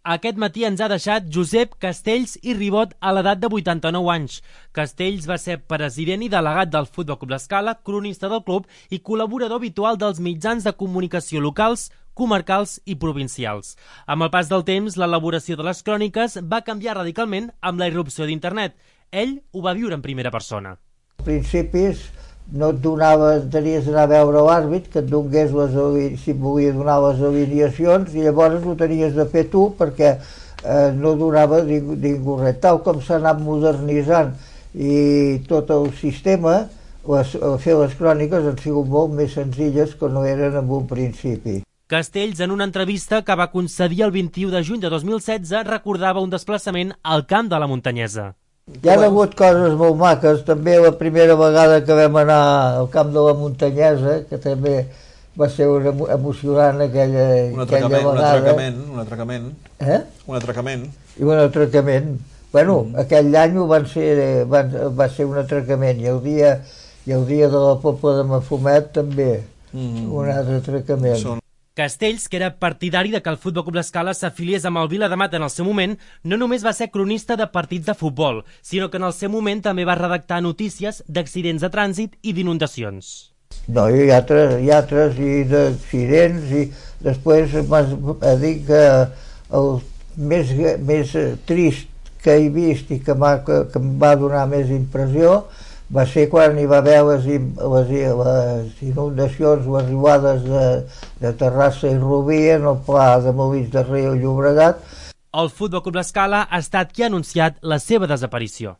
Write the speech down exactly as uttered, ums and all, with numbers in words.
Aquest matí ens ha deixat Josep Castells i Ribot a l'edat de vuitanta-nou anys. Castells va ser president i delegat del Futbol Club L'Escala, cronista del club i col·laborador habitual dels mitjans de comunicació locals, comarcals i provincials. Amb el pas del temps, l'elaboració de les cròniques va canviar radicalment amb la irrupció d'internet. Ell ho va viure en primera persona. Als principis no et donava, tenies d'anar a veure l'àrbit, que et donés les, si et volia donar les alineacions, i llavors ho tenies de fer tu perquè eh, no donava ningú, ningú res. Tal com s'ha anat modernitzant i tot el sistema, les, fer les cròniques han sigut molt més senzilles que no eren en un principi. Castells, en una entrevista que va concedir el vint-i-u de juny de dos mil setze, recordava un desplaçament al camp de la Muntanyesa. Hi ha hagut coses molt maques, també la primera vegada que vam anar al camp de la Muntanyesa, que també va ser emocionant aquella, un aquella vegada. Un atracament, un atracament. Eh? Un atracament. I un atracament. Bueno, mm. aquell any van ser, van, va ser un atracament, i el dia, i el dia de la Pobla de Mafumet també, mm. un altre atracament. Són... Castells, que era partidari de que el Futbol Club L'Escala s'afiliés amb el Viladamat en el seu moment, no només va ser cronista de partits de futbol, sinó que en el seu moment també va redactar notícies d'accidents de trànsit i d'inundacions. No, hi ha altres, hi ha altres i d'accidents, i després m'ha dit que el més, més trist que he vist i que, que, que em va donar més impressió va ser quan hi va haver les, les, les inundacions, les riuades de, de Terrassa i Rubí en el pla de Molins de Rei i Llobregat. El Futbol Club L'Escala ha estat qui ha anunciat la seva desaparició.